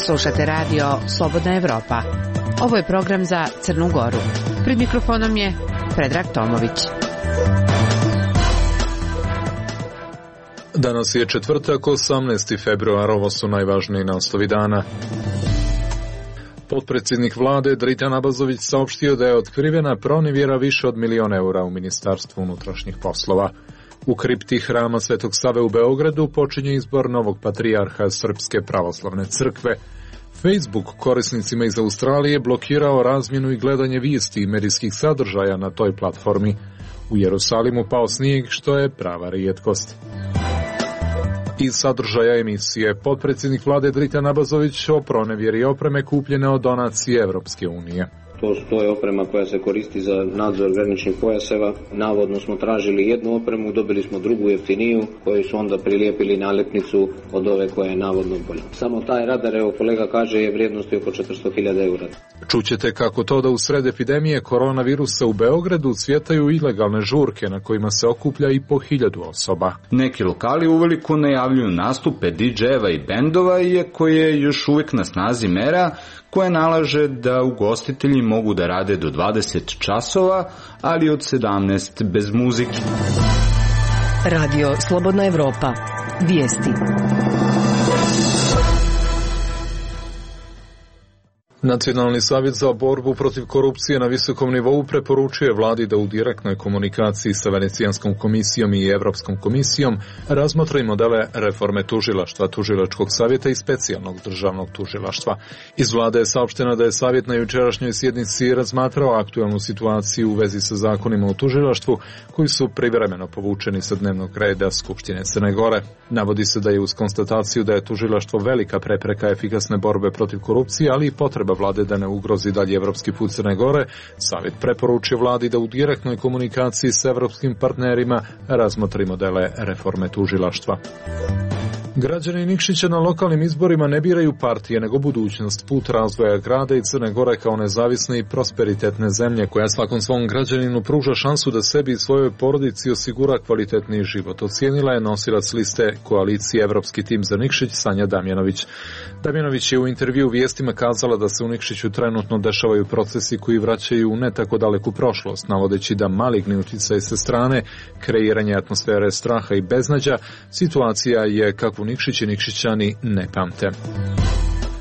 Slušate radio Slobodna Evropa. Ovo je program za Crnu Goru. Pred mikrofonom je Predrag Tomović. Danas je četvrtak, 18. februar, ovo su najvažniji naslovi dana. Potpredsjednik vlade Dritan Abazović saopštio da je otkrivena pronevjera više od 1 milion eura u Ministarstvu unutrašnjih poslova. U kripti hrama Svetog Save u Beogradu počinje izbor novog patrijarha Srpske pravoslavne crkve. Facebook korisnicima iz Australije blokirao razmjenu i gledanje vijesti i medijskih sadržaja na toj platformi. U Jerusalimu pao snijeg, što je prava rijetkost. Iz sadržaja emisije potpredsjednik vlade Dritan Abazović o pronevjeri opreme kupljene od donacije Evropske unije. To je oprema koja se koristi za nadzor graničnih pojaseva. Navodno smo tražili jednu opremu, dobili smo drugu jeftiniju, koju su onda prilijepili nalepnicu od ove koja je navodno bolja. Samo taj radar, evo kolega kaže, je vrijednosti oko 400.000 eura. Čućete kako to da u sred epidemije koronavirusa u Beogradu cvjetaju ilegalne žurke na kojima se okuplja i po 1000 osoba. Neki lokali uveliko najavljuju nastupe DJ-eva i bendova, iako je još uvijek na snazi mera koja nalaže da ugostitelji mogu da rade do 20 časova, ali od 17 bez muzike. Radio Slobodna Evropa. Vijesti. Nacionalni savjet za borbu protiv korupcije na visokom nivou preporučuje vladi da u direktnoj komunikaciji sa Venecijanskom komisijom i Evropskom komisijom razmotre modele reforme tužilaštva, tužilačkog savjeta i specijalnog državnog tužilaštva. Iz vlade je saopšteno da je savjet na jučerašnjoj sjednici razmatrao aktualnu situaciju u vezi sa zakonima o tužilaštvu koji su privremeno povučeni sa dnevnog reda Skupštine Crne Gore. Navodi se da je uz konstataciju da je tužilaštvo velika prepreka efikasne borbe protiv korupcije, ali i potreba vlade da ne ugrozi dalje evropski put Crne Gore, savjet preporučuje vladi da u direktnoj komunikaciji s evropskim partnerima razmotri modele reforme tužilaštva. Građani Nikšića na lokalnim izborima ne biraju partije, nego budućnost, put razvoja grada i Crne Gore kao nezavisne i prosperitetne zemlje koja svakom svom građaninu pruža šansu da sebi i svojoj porodici osigura kvalitetniji život. Ocijenila je nosilac liste koalicije Evropski tim za Nikšić Sanja Damjanović. Damjanović je u intervju vijestima kazala da se u Nikšiću trenutno dešavaju procesi koji vraćaju u ne tako daleku prošlost, navodeći da maligni utjecaj sa strane, kreiranje atmosfere straha i beznađa, situacija je kakvu Nikšić i Nikšićani ne pamte.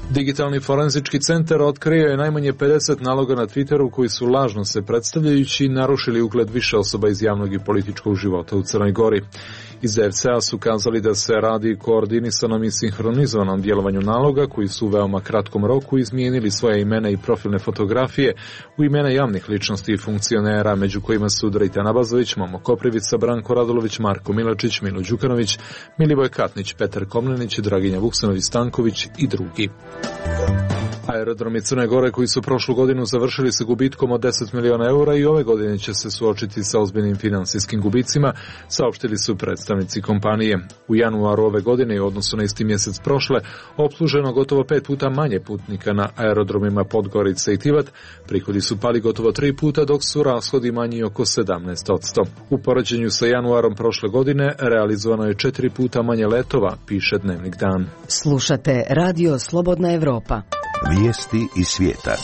Digitalni forenzički centar otkrio je najmanje 50 naloga na Twitteru koji su lažno se predstavljajući narušili ugled više osoba iz javnog i političkog života u Crnoj Gori. Iz DFC-a su kazali da se radi o koordinisanom i sinhronizovanom djelovanju naloga koji su u veoma kratkom roku izmijenili svoje imena i profilne fotografije u imena javnih ličnosti i funkcionera, među kojima su Dritan Abazović, Momo Koprivica, Branko Radulović, Marko Milačić, Milo Đukanović, Milivoj Katnić, Petar Komnenić, Draginja Vuksanović-Stanković i drugi. Aerodromi Crne Gore koji su prošlu godinu završili sa gubitkom od 10 miliona eura i ove godine će se suočiti sa ozbiljnim finansijskim gubicima, saopštili su predstavnici kompanije. U januaru ove godine u odnosu na isti mjesec prošle opsluženo gotovo 5 puta manje putnika na aerodromima Podgorica i Tivat, prihodi su pali gotovo 3 puta dok su rashodi manji oko 17%. U poređenju sa januarom prošle godine realizovano je 4 puta manje letova, piše Dnevnik Dan. Slušate Radio Slobodna Evropa. Vijesti iz svijeta.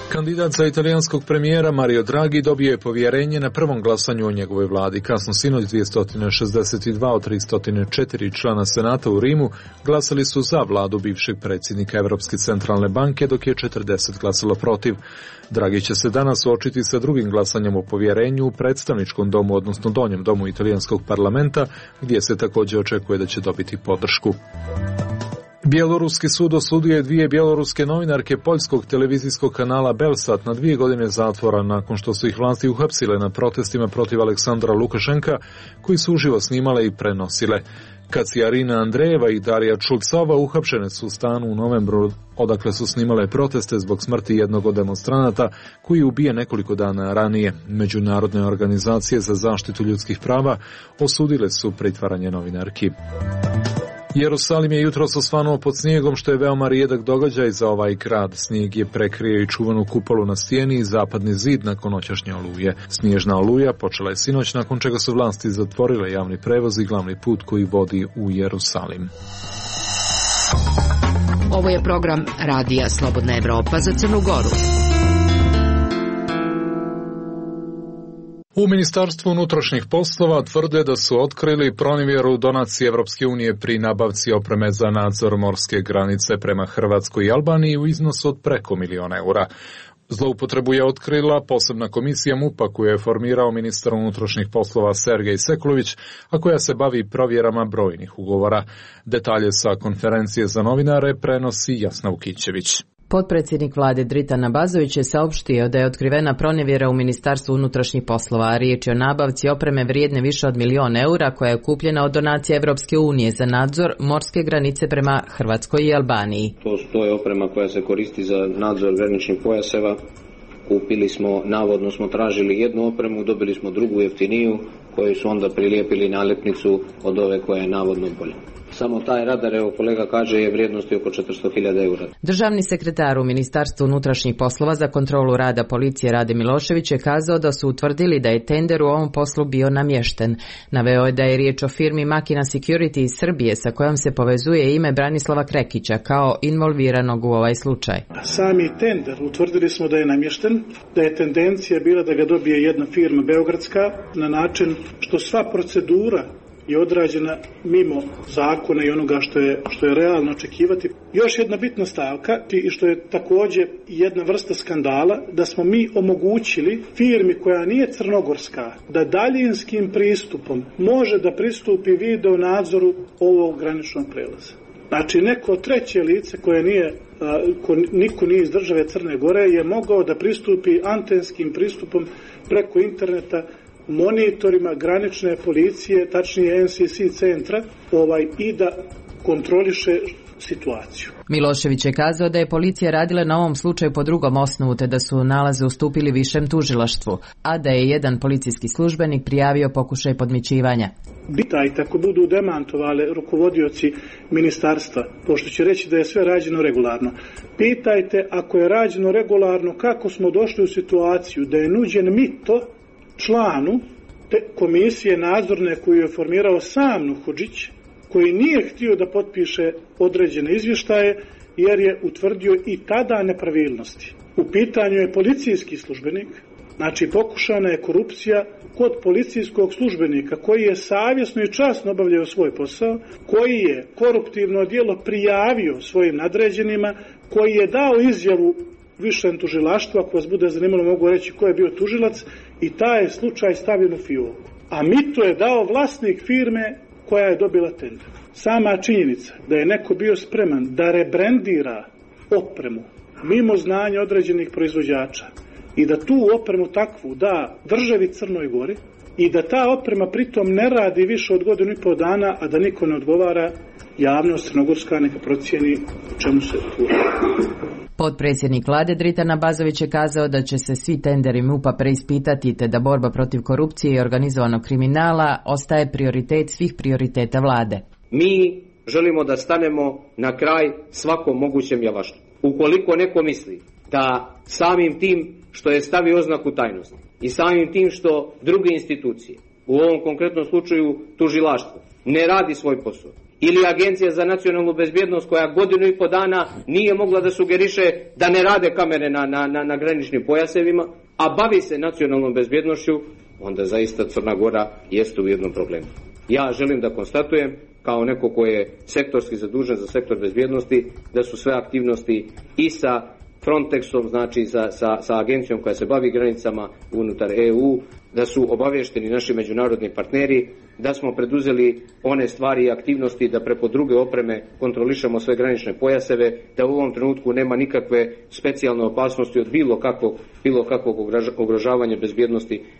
Kandidat za italijanskog premijera Mario Draghi dobio je povjerenje na prvom glasanju o njegovoj vladi. Kasno sinoć 262 od 304 člana Senata u Rimu glasali su za vladu bivšeg predsjednika Europske centralne banke, dok je 40 glasalo protiv. Draghi će se danas suočiti sa drugim glasanjem o povjerenju u predstavničkom domu, odnosno donjem domu italijanskog parlamenta, gdje se također očekuje da će dobiti podršku. Bjeloruski sud osudio je 2 bjeloruske novinarke poljskog televizijskog kanala Belsat na 2 godine zatvora nakon što su ih vlasti uhapsile na protestima protiv Aleksandra Lukašenka koji su uživo snimale i prenosile. Kacijarina Andrejeva i Darija Čulcova uhapšene su u stanu u novembru, odakle su snimale proteste zbog smrti jednog od demonstranata koji je ubijen nekoliko dana ranije. Međunarodne organizacije za zaštitu ljudskih prava osudile su pritvaranje novinarki. Jerusalim je jutros osvanuo pod snijegom, što je veoma rijedak događaj za ovaj grad. Snijeg je prekrio i čuvanu kupolu na stijeni i zapadni zid nakon noćašnje oluje. Snježna oluja počela je sinoć, nakon čega su vlasti zatvorile javni prevoz i glavni put koji vodi u Jerusalim. Ovo je program Radija Slobodna Evropa za Crnu Goru. U Ministarstvu unutrašnjih poslova tvrde da su otkrili pronevjeru donacije Evropske unije pri nabavci opreme za nadzor morske granice prema Hrvatskoj i Albaniji u iznosu od preko €1.000.000. Zloupotrebu je otkrila posebna komisija MUP-a koju je formirao ministar unutrašnjih poslova Sergej Sekulović, a koja se bavi provjerama brojnih ugovora. Detalje sa konferencije za novinare prenosi Jasna Vukićević. Potpredsjednik vlade Dritan Abazović je saopštio da je otkrivena pronevjera u Ministarstvu unutrašnjih poslova, a riječ je o nabavci opreme vrijedne više od €1.000.000 koja je kupljena od donacije Evropske unije za nadzor morske granice prema Hrvatskoj i Albaniji. To je oprema koja se koristi za nadzor graničnih pojaseva. Kupili smo, navodno smo tražili jednu opremu, dobili smo drugu jeftiniju koju su onda prilijepili nalepnicu od ove koja je navodno bolja. Samo taj radar, evo kolega kaže, je vrijednosti oko 400.000 eura. Državni sekretar u Ministarstvu unutrašnjih poslova za kontrolu rada policije Rade Milošević je kazao da su utvrdili da je tender u ovom poslu bio namješten. Naveo je da je riječ o firmi Makina Security iz Srbije sa kojom se povezuje ime Branislava Krekića kao involviranog u ovaj slučaj. Sami tender utvrdili smo da je namješten, da je tendencija bila da ga dobije jedna firma beogradska na način što sva procedura je odrađena mimo zakona i onoga što je realno očekivati. Još jedna bitna stavka i što je također jedna vrsta skandala, da smo mi omogućili firmi koja nije crnogorska da daljinskim pristupom može da pristupi video nadzoru ovog graničnog prelaza. Znači neko treće lice koje niko nije iz države Crne Gore je mogao da pristupi antenskim pristupom preko interneta monitorima granične policije, tačnije NCC centra, i da kontroliše situaciju. Milošević je kazao da je policija radila na ovom slučaju po drugom osnovu, te da su nalaze ustupili višem tužilaštvu, a da je jedan policijski službenik prijavio pokušaj podmićivanja. Pitajte ako budu demantovali rukovodioci ministarstva, pošto će reći da je sve rađeno regularno. Pitajte ako je rađeno regularno kako smo došli u situaciju da je nuđen mito članu komisije nadzorne koju je formirao sam Nuhodžić, koji nije htio da potpiše određene izvještaje jer je utvrdio i tada nepravilnosti. U pitanju je policijski službenik, znači pokušana je korupcija kod policijskog službenika koji je savjesno i časno obavljao svoj posao, koji je koruptivno djelo prijavio svojim nadređenima, koji je dao izjavu višem tužilaštvu, ako vas bude zanimalo mogu reći ko je bio tužilac, i taj je slučaj stavljen u fioku. A mito je dao vlasnik firme koja je dobila tender. Sama činjenica da je neko bio spreman da rebrandira opremu mimo znanja određenih proizvođača i da tu opremu takvu da državi Crnoj Gori i da ta oprema pritom ne radi više od 1,5 dana, a da niko ne odgovara, javnost crnogorska neka procijeni o čemu se tu radi. Potpredsjednik vlade Dritan Abazović je kazao da će se svi tenderi MUP-a preispitati, te da borba protiv korupcije i organizovanog kriminala ostaje prioritet svih prioriteta vlade. Mi želimo da stanemo na kraj svakom mogućem javaštu. Ukoliko neko misli da samim tim što je stavio oznaku tajnosti i samim tim što druge institucije, u ovom konkretnom slučaju tužilaštvo, ne radi svoj posao, ili Agencija za nacionalnu bezbjednost koja 1,5 dana nije mogla da sugeriše da ne rade kamere na graničnim pojasevima, a bavi se nacionalnom bezbjednošću, onda zaista Crna Gora jeste u jednom problemu. Ja želim da konstatujem, kao neko ko je sektorski zadužen za sektor bezbjednosti, da su sve aktivnosti i sa Frontexom, znači sa agencijom koja se bavi granicama unutar EU, da su obavješteni naši međunarodni partneri, da smo preduzeli one stvari i aktivnosti da preko druge opreme kontrolišemo sve granične pojaseve, da u ovom trenutku nema nikakve specijalne opasnosti od bilo kakvog ugrožavanja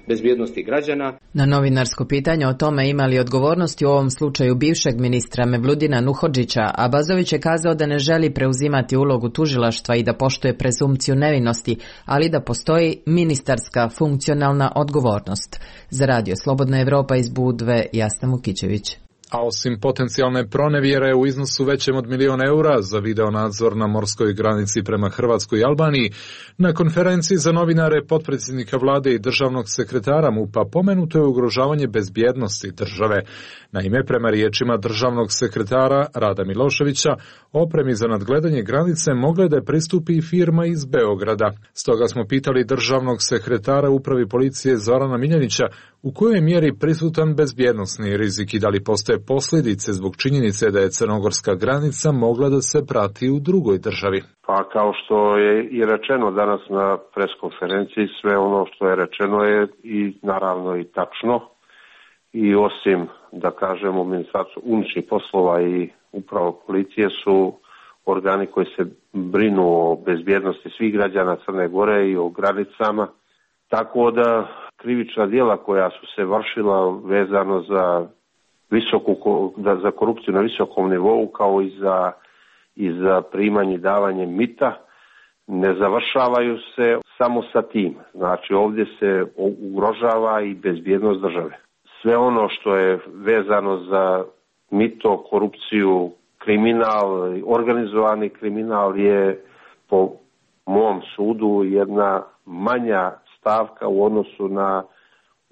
bezbjednosti građana. Na novinarsko pitanje o tome ima li odgovornosti u ovom slučaju bivšeg ministra Mevludina Nuhodžića, Abazović je kazao da ne želi preuzimati ulogu tužilaštva i da poštuje prezumpciju nevinosti, ali da postoji ministarska funkcionalna odgovornost. Za Radio Slobodna Evropa iz Budve, Jasna Vukićević. A osim potencijalne pronevjere u iznosu većem od 1.000.000 eura za video nadzor na morskoj granici prema Hrvatskoj i Albaniji, na konferenciji za novinare potpredsjednika vlade i državnog sekretara MUP-a pomenuto je ugrožavanje bezbjednosti države. Naime, prema riječima državnog sekretara Rada Miloševića, opremi za nadgledanje granice mogla je da pristupi i firma iz Beograda. Stoga smo pitali državnog sekretara upravi policije Zorana Miljanića u kojoj je mjeri prisutan bezbjednosni rizik i da li postoje posljedice zbog činjenice da je crnogorska granica mogla da se prati u drugoj državi. Pa kao što je i rečeno danas na preskonferenciji, sve ono što je rečeno je i naravno i tačno. I osim, da kažemo, Ministarstvo unutrašnjih poslova i upravo policije su organi koji se brinu o bezbjednosti svih građana Crne Gore i o granicama. Tako da krivična djela koja su se vršila vezano za korupciju na visokom nivou kao i za primanje i davanje mita ne završavaju se samo sa tim. Znači ovdje se ugrožava i bezbjednost države. Sve ono što je vezano za mito, korupciju, kriminal, organizovani kriminal je po mom sudu jedna manja stavka u odnosu na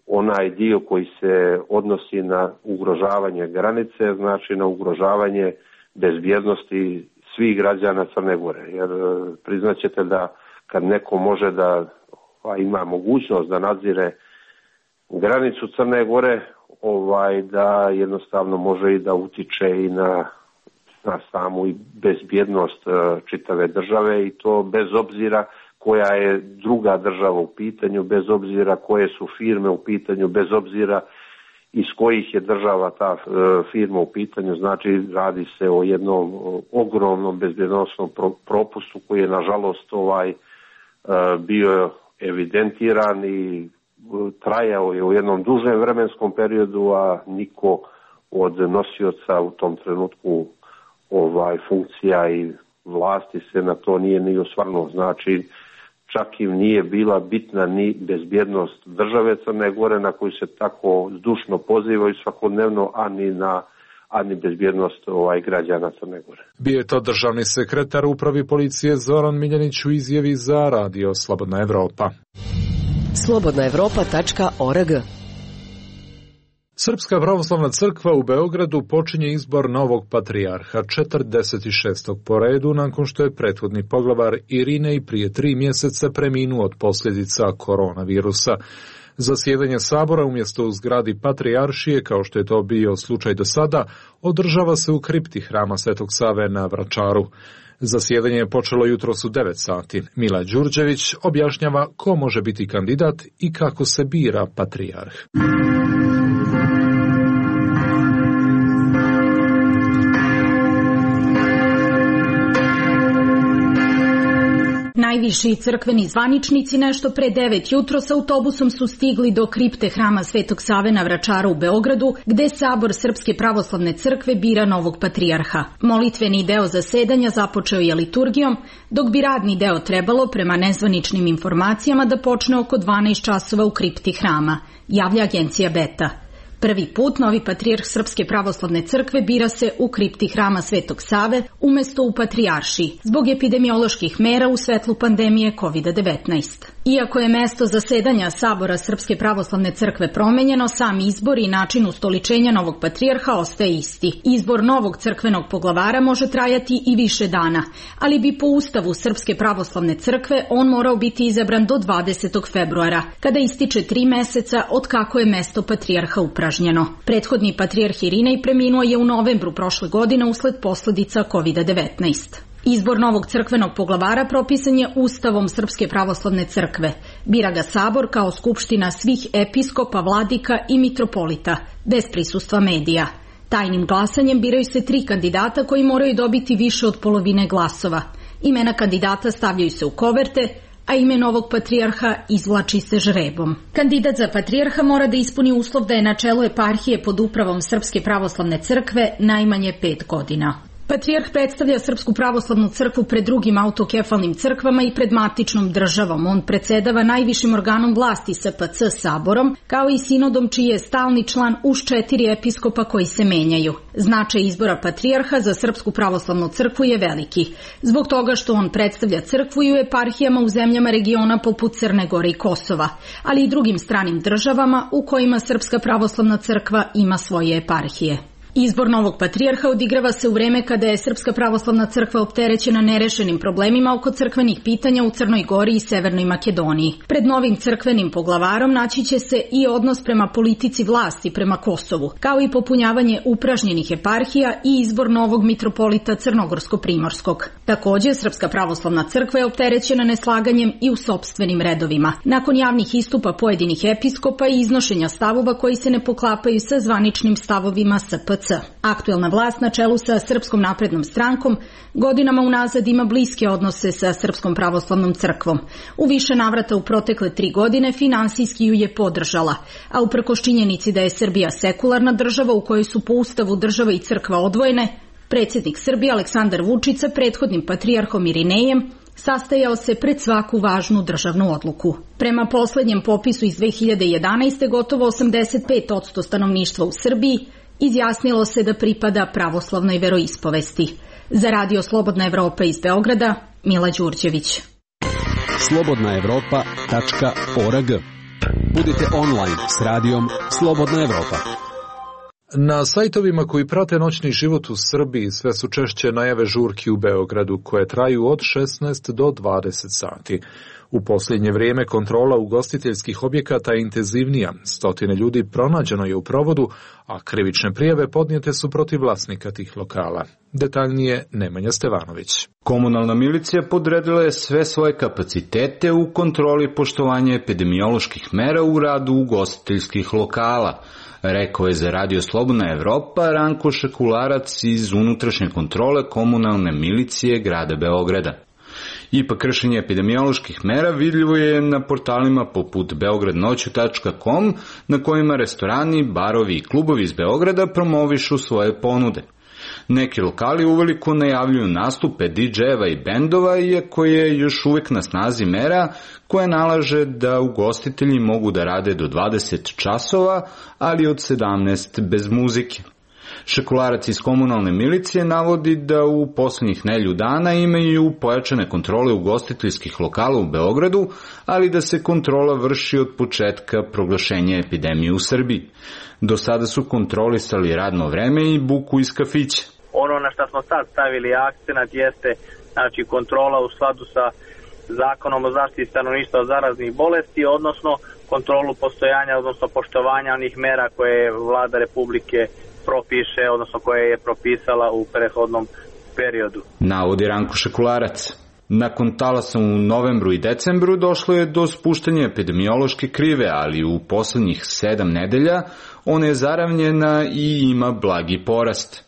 onaj dio koji se odnosi na ugrožavanje granice, znači na ugrožavanje bezbjednosti svih građana Crne Gore. Jer priznaćete da kad neko može da ima mogućnost da nadzire granicu Crne Gore, da jednostavno može i da utiče i na samu bezbjednost čitave države i to bez obzira koja je druga država u pitanju, bez obzira koje su firme u pitanju, bez obzira iz kojih je država ta firma u pitanju. Znači radi se o jednom ogromnom bezbjednosnom propustu koji je nažalost bio evidentiran i trajao je u jednom dužem vremenskom periodu, a niko od nosioca u tom trenutku funkcija i vlasti se na to nije ni osvrnuo. Znači čak im nije bila bitna ni bezbjednost države Crne Gore na koju se tako zdušno pozivaju svakodnevno, a ni bezbjednost građana Crne Gore. Bio je to državni sekretar upravi policije Zoran Miljanić u izjavi za radio Slobodna Evropa. slobodnaevropa.org. Srpska pravoslavna crkva u Beogradu počinje izbor novog patrijarha 46. po redu nakon što je prethodni poglavar Irinej prije 3 mjeseca preminuo od posljedica koronavirusa. Zasjedanje sabora umjesto u zgradi patrijaršije, kao što je to bio slučaj do sada, održava se u kripti hrama Svetog Save na Vračaru. Zasjedanje je počelo jutros u 9 sati. Mila Đurđević objašnjava ko može biti kandidat i kako se bira patrijarh. Najviši crkveni zvaničnici nešto pre 9 jutro s autobusom su stigli do kripte hrama Svetog Save na Vračaru u Beogradu, gde Sabor Srpske pravoslavne crkve bira novog patrijarha. Molitveni deo zasedanja započeo je liturgijom, dok bi radni deo trebalo, prema nezvaničnim informacijama, da počne oko 12 časova u kripti hrama, javlja agencija Beta. Prvi put novi patrijarh Srpske pravoslavne crkve bira se u kripti hrama Svetog Save umesto u patrijaršiji, zbog epidemioloških mera u svetlu pandemije COVID-19. Iako je mesto zasedanja Sabora Srpske pravoslavne crkve promenjeno, sam izbor i način ustoličenja novog patrijarha ostaje isti. Izbor novog crkvenog poglavara može trajati i više dana, ali bi po Ustavu Srpske pravoslavne crkve on morao biti izabran do 20. februara, kada ističe 3 meseca od kako je mesto patrijarha upražnjeno. Prethodni patrijarh Irinej preminuo je u novembru prošle godine usled posljedica COVID-19. Izbor novog crkvenog poglavara propisan je Ustavom Srpske pravoslavne crkve. Bira ga Sabor kao skupština svih episkopa, vladika i mitropolita, bez prisustva medija. Tajnim glasanjem biraju se 3 kandidata koji moraju dobiti više od polovine glasova. Imena kandidata stavljaju se u koverte, a ime novog patrijarha izvlači se žrebom. Kandidat za patrijarha mora da ispuni uslov da je na čelu eparhije pod upravom Srpske pravoslavne crkve najmanje 5 godina. Patrijarh predstavlja Srpsku pravoslavnu crkvu pred drugim autokefalnim crkvama i pred matičnom državom. On predsedava najvišim organom vlasti SPC Saborom, kao i sinodom čiji je stalni član uz 4 episkopa koji se menjaju. Značaj izbora patrijarha za Srpsku pravoslavnu crkvu je veliki, zbog toga što on predstavlja crkvu i u eparhijama u zemljama regiona poput Crne Gore i Kosova, ali i drugim stranim državama u kojima Srpska pravoslavna crkva ima svoje eparhije. Izbor novog patrijarha odigrava se u vreme kada je Srpska pravoslavna crkva opterećena nerešenim problemima oko crkvenih pitanja u Crnoj Gori i Severnoj Makedoniji. Pred novim crkvenim poglavarom naći će se i odnos prema politici vlasti prema Kosovu, kao i popunjavanje upražnjenih eparhija i izbor novog mitropolita Crnogorsko-Primorskog. Takođe, Srpska pravoslavna crkva je opterećena neslaganjem i u sopstvenim redovima. Nakon javnih istupa pojedinih episkopa i iznošenja stavova koji se ne poklapaju sa zvaničnim stavovima SPC. Aktuelna vlast na čelu sa Srpskom naprednom strankom godinama unazad ima bliske odnose sa Srpskom pravoslavnom crkvom. U više navrata u protekle 3 godine finansijski ju je podržala, a uprkos činjenici da je Srbija sekularna država u kojoj su po ustavu država i crkva odvojene, predsjednik Srbije Aleksandar Vučić sa prethodnim patrijarhom Irinejem sastajao se pred svaku važnu državnu odluku. Prema poslednjem popisu iz 2011. gotovo 85% stanovništva u Srbiji izjasnilo se da pripada pravoslavnoj veroispovesti. Za Radio Slobodna Evropa iz Beograda, Mila Đurđević. slobodnaevropa.org. Budite online s radijom Slobodna Evropa. Na sajtovima koji prate noćni život u Srbiji sve su češće najave žurki u Beogradu koje traju od 16 do 20 sati. U posljednje vrijeme kontrola ugostiteljskih objekata je intenzivnija. 100 ljudi pronađeno je u provodu, a krivične prijave podnijete su protiv vlasnika tih lokala. Detaljnije Nemanja Stevanović. Komunalna milicija podredila je sve svoje kapacitete u kontroli poštovanja epidemioloških mera u radu ugostiteljskih lokala, rekao je za Radio Slobodna Evropa Ranko Šekularac iz unutrašnje kontrole komunalne milicije grada Beograda. Ipak kršenje epidemioloških mera vidljivo je na portalima poput beogradnoću.com na kojima restorani, barovi i klubovi iz Beograda promovišu svoje ponude. Neki lokali uveliko najavljuju nastupe DJ-eva i bendova, iako je još uvijek na snazi mera koja nalaže da ugostitelji mogu da rade do 20 časova, ali od 17 bez muzike. Šekularac iz komunalne milicije navodi da u posljednjih nedelju dana imaju pojačane kontrole ugostiteljskih lokala u Beogradu, ali da se kontrola vrši od početka proglašenja epidemije u Srbiji. Do sada su kontrolisali radno vreme i buku iz kafića. Ono na što smo sad stavili akcenat jeste kontrola u skladu sa Zakonom o zaštiti stanovništva od zaraznih bolesti, odnosno kontrolu postojanja, odnosno poštovanja onih mera koje je Vlada Republike propiše, odnosno koje je propisala u prethodnom periodu. Navodi Ranko Šekularac. Nakon talasa u novembru i decembru došlo je do spuštanja epidemiološke krive, ali u poslednjih 7 nedelja ona je zaravnjena i ima blagi porast.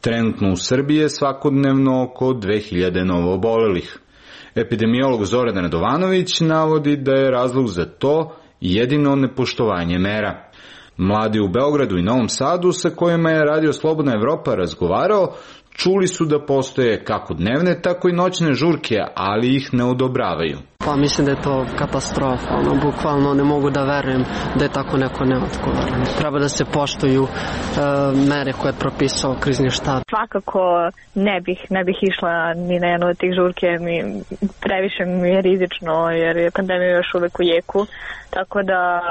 Trenutno u Srbiji je svakodnevno oko 2000 novoobolelih. Epidemiolog Zoran Radovanović navodi da je razlog za to jedino nepoštovanje mera. Mladi u Beogradu i Novom Sadu sa kojima je Radio Slobodna Evropa razgovarao, čuli su da postoje kako dnevne, tako i noćne žurke, ali ih ne odobravaju. Pa mislim da je to katastrofa, bukvalno ne mogu da verujem da je tako neko neodgovoran. Treba da se poštuju mere koje je propisao krizni štab. Svakako ne bih išla ni na jednu od tih žurke, previše mi je rizično jer je pandemija još uvek u jeku, tako da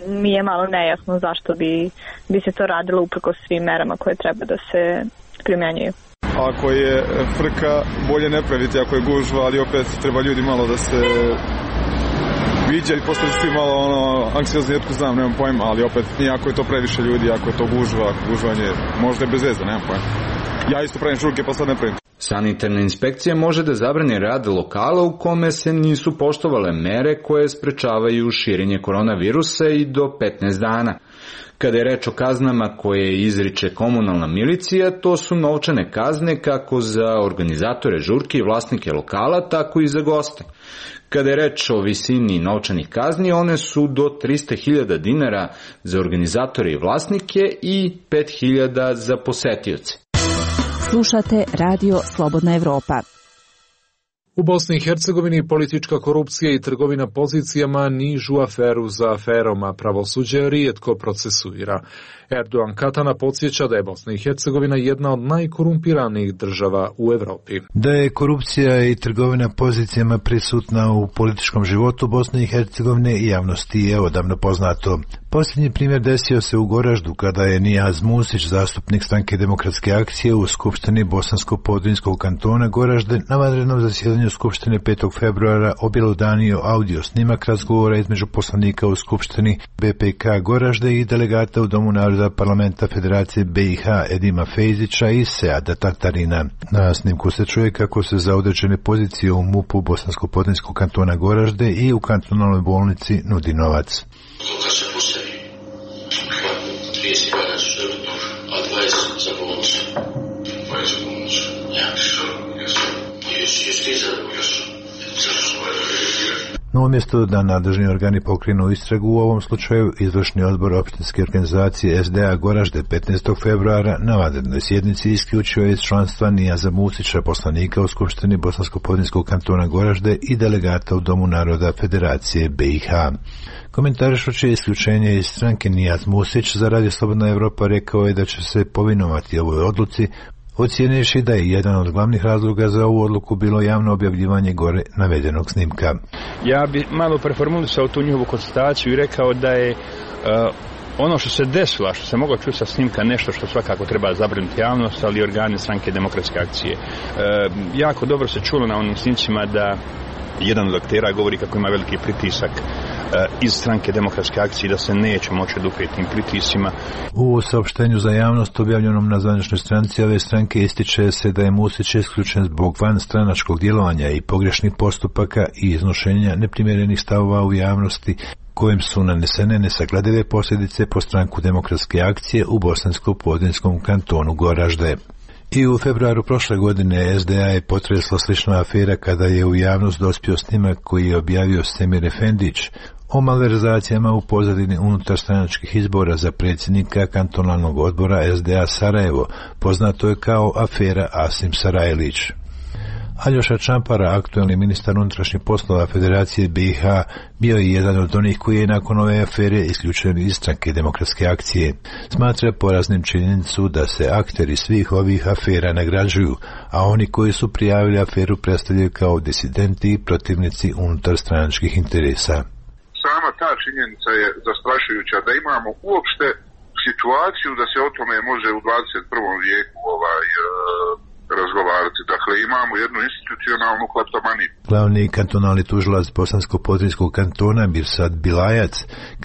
mi je malo nejasno zašto bi se to radilo uprkos svim merama koje treba da se primjenjuju. Ako je frka, bolje ne praviti ako je gužva, ali opet treba ljudi malo da se viđa i postaju svi malo anksiozni, jetko znam, nemam pojma, ali opet nije ako je to previše ljudi, ako je to gužvanje, možda je bez veze, nemam pojma. Ja isto pravim žurke pa sad ne pravim. Sanitarna inspekcija može da zabrani rad lokala u kome se nisu poštovale mere koje sprečavaju širenje koronavirusa i do 15 dana. Kada je reč o kaznama koje izriče komunalna milicija, to su novčane kazne kako za organizatore žurke i vlasnike lokala, tako i za goste. Kada je reč o visini novčanih kazni, one su do 300.000 dinara za organizatore i vlasnike i 5.000 za posetioce. Slušate Radio Slobodna Evropa. U Bosni i Hercegovini politička korupcija i trgovina pozicijama nižu aferu za aferom, a pravosuđe rijetko procesuira. Erdogan Katana podsjeća da je Bosna i Hercegovina jedna od najkorumpiranijih država u Evropi. Da je korupcija i trgovina pozicijama prisutna u političkom životu Bosne i Hercegovine i javnosti je odavno poznato. Posljednji primjer desio se u Goraždu kada je Nijaz Musić, zastupnik Stranke demokratske akcije u Skupštini Bosansko-Podrinjskog kantona Goražde, na vanrednom zasjedanju Skupštine 5. februara objelodanio audio snimak razgovora između poslanika u Skupštini BPK Goražde i delegata u Domu naroda Parlamenta Federacije BiH Edima Fejzića i Seada Tatarina. Na snimku se čuje kako se za određene pozicije u MUP-u Bosansko-Podrinjskog kantona Goražde i u kantonalnoj bolnici nudi novac. No umjesto da nadležni organi pokrenu istragu u ovom slučaju, izvršni odbor opštinske organizacije SDA Goražde 15. februara na vanrednoj sjednici isključio iz članstva Nijaza Musića, poslanika u Skupštini Bosansko-Podrinjskog kantona Goražde i delegata u Domu naroda Federacije BiH. Komentarišući isključenje iz stranke, Nijaz Musić za Radio Slobodna Evropa rekao je da će se povinovati ovoj odluci, ocijenivši da je jedan od glavnih razloga za ovu odluku bilo javno objavljivanje gore navedenog snimka. Ja bi malo preformulisao tu njihovu konstataciju i rekao da je ono što se desilo, što se moglo čuti sa snimka, nešto što svakako treba zabrinuti javnost, ali i organi Stranke demokratske akcije. Jako dobro se čulo na onim snimcima da jedan od aktera govori kako ima veliki pritisak iz Stranke demokratske akcije, da se neće moći oduprijeti tim pritiscima. U saopštenju za javnost objavljenom na zvaničnoj stranici ove stranke ističe se da je Musić isključen zbog vanstranačkog djelovanja i pogrešnih postupaka i iznošenja neprimjerenih stavova u javnosti, kojim su nanesene nesagledive posljedice po Stranku demokratske akcije u Bosansko-Podrinjskom kantonu Goražde. I u februaru prošle godine SDA je potresla slična afera kada je u javnost dospio snimak koji je objavio Semir Efendić o malverzacijama u pozadini unutarstranačkih izbora za predsjednika kantonalnog odbora SDA Sarajevo, poznato je kao afera Asim Sarajlić. Aljoša Čampara, aktuelni ministar unutrašnjih poslova Federacije BiH, bio je jedan od onih koji je nakon ove afere isključen iz Stranke demokratske akcije. Smatra poraznim činjenicu da se akteri svih ovih afera nagrađuju, a oni koji su prijavili aferu predstavljaju kao disidenti i protivnici unutarstranačkih interesa. Sama ta činjenica je zastrašujuća, da imamo uopšte situaciju da se o tome može u 21. vijeku razgovarati. Dakle, imamo jednu institucionalnu kleptomaniju. Glavni kantonalni tužilac Bosansko-Podrinjskog kantona Mirsad Bilajac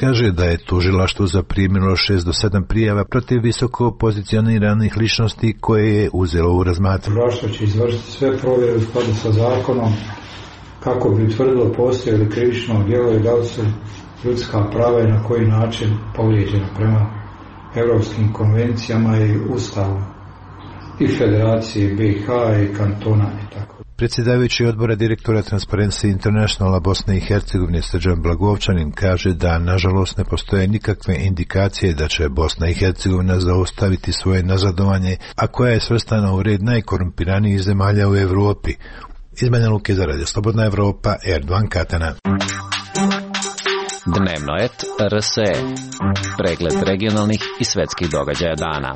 kaže da je tužilaštvo zaprimilo 6 do 7 prijava protiv visoko pozicioniranih ličnosti koje je uzelo u razmatranje. Tužilaštvo će izvršiti sve provjere u skladu sa zakonom kako bi utvrdilo postoje li krivično djelo i da li su ljudska prava i na koji način povrijeđena prema europskim konvencijama i ustavom i Federacije BiH i kantona i tako. Predsjedavajući odbora direktora Transparency Internationala Bosne i Hercegovine Srđan Blagovčanin kaže da nažalost ne postoje nikakve indikacije da će Bosna i Hercegovina zaustaviti svoje nazadovanje, a koja je svrstana u red najkorumpiranijih zemalja u Evropi. Iz Banja Luke za Radio Slobodna Evropa, Erdogan Katana. Dnevnoet RSE. Pregled regionalnih i svetskih događaja dana.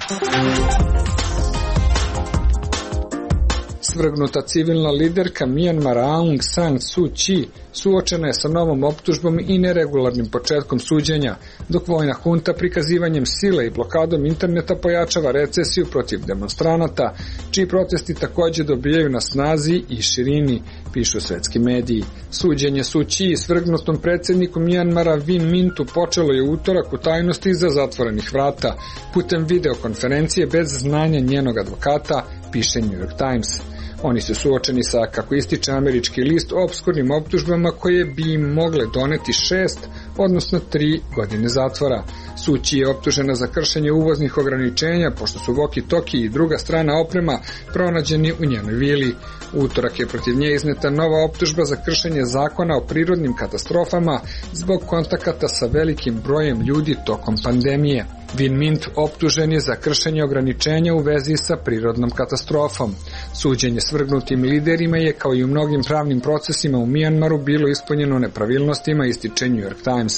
Svrgnuta civilna liderka Myanmara Aung San Suu Kyi suočena je sa novom optužbom i neregularnim početkom suđenja, dok vojna hunta prikazivanjem sile i blokadom interneta pojačava recesiju protiv demonstranata, čiji protesti također dobijaju na snazi i širini, pišu svetski mediji. Suđenje Suu Kyi svrgnutom predsjedniku Myanmara Win Mintu počelo je u utorak u tajnosti iza zatvorenih vrata, putem videokonferencije bez znanja njenog advokata, piše New York Times. Oni su suočeni sa, kako ističe američki list, opskurnim optužbama koje bi im mogle doneti 6, odnosno 3 godine zatvora. Suu Kyi je optužena za kršenje uvoznih ograničenja, pošto su walkie-talkie i druga strana oprema pronađeni u njenoj vili. U utorak je protiv nje izneta nova optužba za kršenje zakona o prirodnim katastrofama zbog kontakata sa velikim brojem ljudi tokom pandemije. Win Mint optužen je za kršenje ograničenja u vezi sa prirodnom katastrofom. Suđenje svrgnutim liderima je, kao i u mnogim pravnim procesima u Mijanmaru, bilo ispunjeno nepravilnostima, ističe New York Times.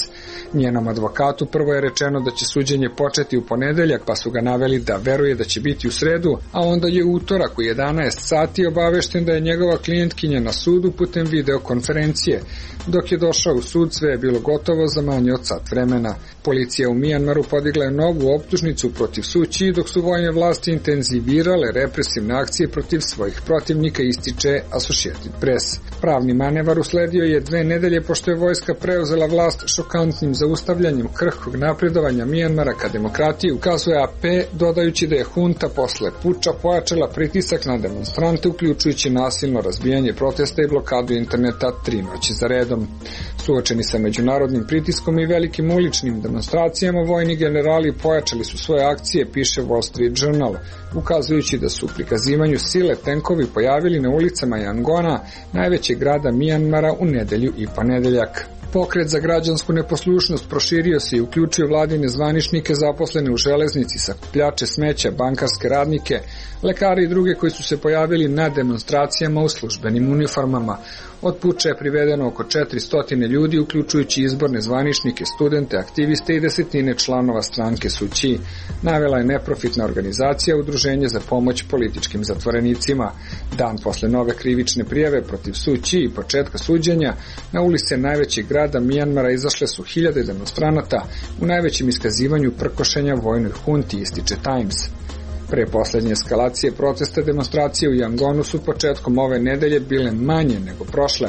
Njenom advokatu prvo je rečeno da će suđenje početi u ponedeljak, pa su ga naveli da veruje da će biti u sredu, a onda je u utorak u 11 sati obavešten da je njegova klijentkinja na sudu putem videokonferencije. Dok je došao u sud, sve je bilo gotovo za manje od sat vremena. Policija u Mijanmaru podigla je novu optužnicu protiv Suu Kyi, dok su vojne vlasti intenzivirale represivne akcije protiv svojih protivnika, ističe Associated Press. Pravni manevar usledio je 2 nedelje pošto je vojska preuzela vlast šokantnim zaustavljanjem krhkog napredovanja Mijanmara ka demokratiji, ukazuje AP, dodajući da je hunta posle puča pojačala pritisak na demonstrante, uključujući nasilno razbijanje protesta i blokadu interneta 3 noći za redom. Suočeni sa međunarodnim pritiskom i velikim uličnim demonstracijama, vojni generali pojačali su svoje akcije, piše Wall Street Journal, ukazujući da su u prikazivanju sile tenkovi pojavili na ulicama Yangona, najvećeg grada Mijanmara, u nedelju i ponedeljak. Pokret za građansku neposlušnost proširio se i uključio vladine zvaničnike zaposlene u železnici, sakupljače smeća, bankarske radnike, lekari i druge koji su se pojavili na demonstracijama u službenim uniformama. Od puča je privedeno oko 400 ljudi, uključujući izborne zvaničnike, studente, aktiviste i desetine članova stranke Suu Kyi, navela je neprofitna organizacija Udruženje za pomoć političkim zatvorenicima. Dan posle nove krivične prijave protiv Suu Kyi i početka suđenja, na ulice najvećeg grada Mijanmara izašle su hiljade demonstranata u najvećem iskazivanju prkošenja vojnoj hunti, ističe Times. Pre poslednje eskalacije protesta, demonstracije u Yangonu su početkom ove nedelje bile manje nego prošle,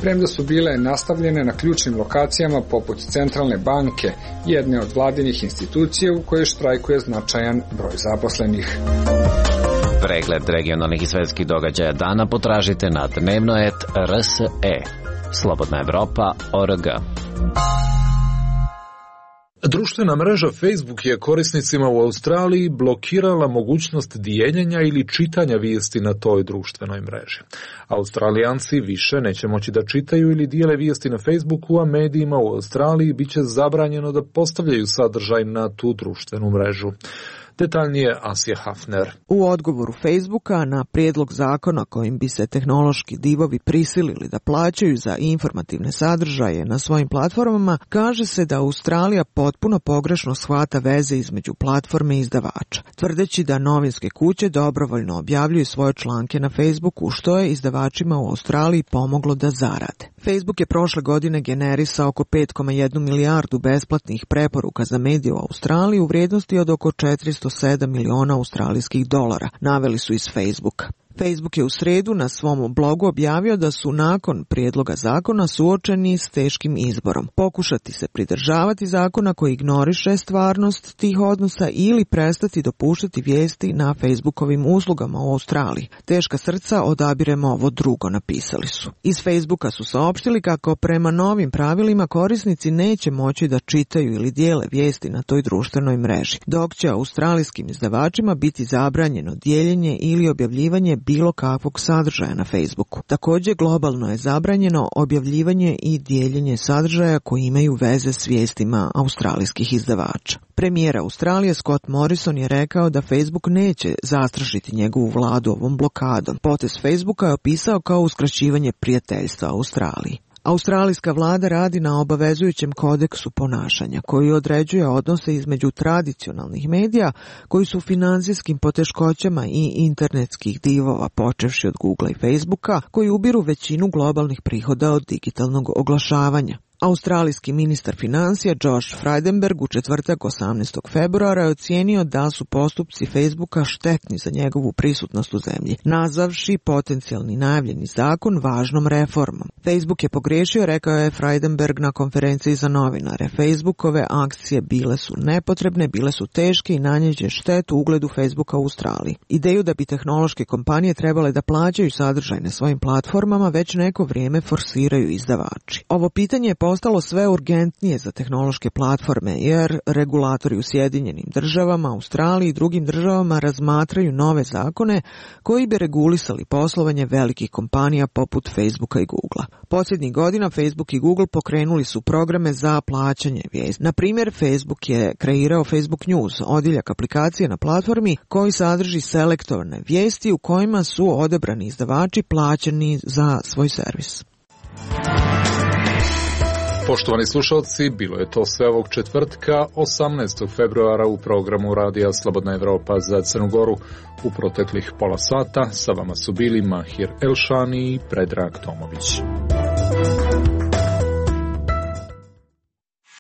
premda su bile nastavljene na ključnim lokacijama poput Centralne banke, jedne od vladinih institucija u kojoj štrajkuje značajan broj zaposlenih. Pregled regionalnih i svetskih događaja dana potražite na dnevnoet.rse. Slobodna Evropa.org. Društvena mreža Facebook je korisnicima u Australiji blokirala mogućnost dijeljenja ili čitanja vijesti na toj društvenoj mreži. Australijanci više neće moći da čitaju ili dijele vijesti na Facebooku, a medijima u Australiji biće zabranjeno da postavljaju sadržaj na tu društvenu mrežu. Detaljnije Asija Hafner. U odgovoru Facebooka na prijedlog zakona kojim bi se tehnološki divovi prisilili da plaćaju za informativne sadržaje na svojim platformama, kaže se da Australija potpuno pogrešno shvata veze između platforme i izdavača, tvrdeći da novinske kuće dobrovoljno objavljuju svoje članke na Facebooku, što je izdavačima u Australiji pomoglo da zarade. Facebook je prošle godine generisao oko 5,1 milijardu besplatnih preporuka za medije u Australiji u vrijednosti od oko 407 miliona australijskih dolara, naveli su iz Facebooka. Facebook je u sredu na svom blogu objavio da su nakon prijedloga zakona suočeni s teškim izborom. Pokušati se pridržavati zakona koji ignoriše stvarnost tih odnosa ili prestati dopuštati vijesti na Facebookovim uslugama u Australiji. Teška srca, odabiremo ovo drugo, napisali su. Iz Facebooka su saopštili kako prema novim pravilima korisnici neće moći da čitaju ili dijele vijesti na toj društvenoj mreži, dok će australijskim izdavačima biti zabranjeno dijeljenje ili objavljivanje bilo kakvog sadržaja na Facebooku. Također globalno je zabranjeno objavljivanje i dijeljenje sadržaja koji imaju veze s vijestima australijskih izdavača. Premijer Australije Scott Morrison je rekao da Facebook neće zastrašiti njegovu vladu ovom blokadom. Potez Facebooka je opisao kao uskraćivanje prijateljstva Australiji. Australijska vlada radi na obavezujućem kodeksu ponašanja koji određuje odnose između tradicionalnih medija koji su u financijskim poteškoćama i internetskih divova, počevši od Googlea i Facebooka, koji ubiru većinu globalnih prihoda od digitalnog oglašavanja. Australijski ministar financija Josh Frydenberg u četvrtak 18. februara je ocijenio da su postupci Facebooka štetni za njegovu prisutnost u zemlji, nazvavši potencijalni najavljeni zakon važnom reformom. Facebook je pogriješio, rekao je Frydenberg na konferenciji za novinare. Facebookove akcije bile su nepotrebne, bile su teške i nanjeće štetu ugledu Facebooka u Australiji. Ideju da bi tehnološke kompanije trebale da plaćaju sadržaj na svojim platformama već neko vrijeme forsiraju izdavači. Ovo pitanje je postalo sve urgentnije za tehnološke platforme, jer regulatori u Sjedinjenim državama, Australiji i drugim državama razmatraju nove zakone koji bi regulisali poslovanje velikih kompanija poput Facebooka i Googlea. Posljednjih godina Facebook i Google pokrenuli su programe za plaćanje vijesti. Na primjer, Facebook je kreirao Facebook News, odjeljak aplikacije na platformi koji sadrži selektovane vijesti u kojima su odabrani izdavači plaćeni za svoj servis. Poštovani slušalci, bilo je to sve ovog četvrtka, 18. februara u programu Radija Slobodna Evropa za Crnu Goru. U proteklih pola sata sa vama su bili Mahir Elšani i Predrag Tomović.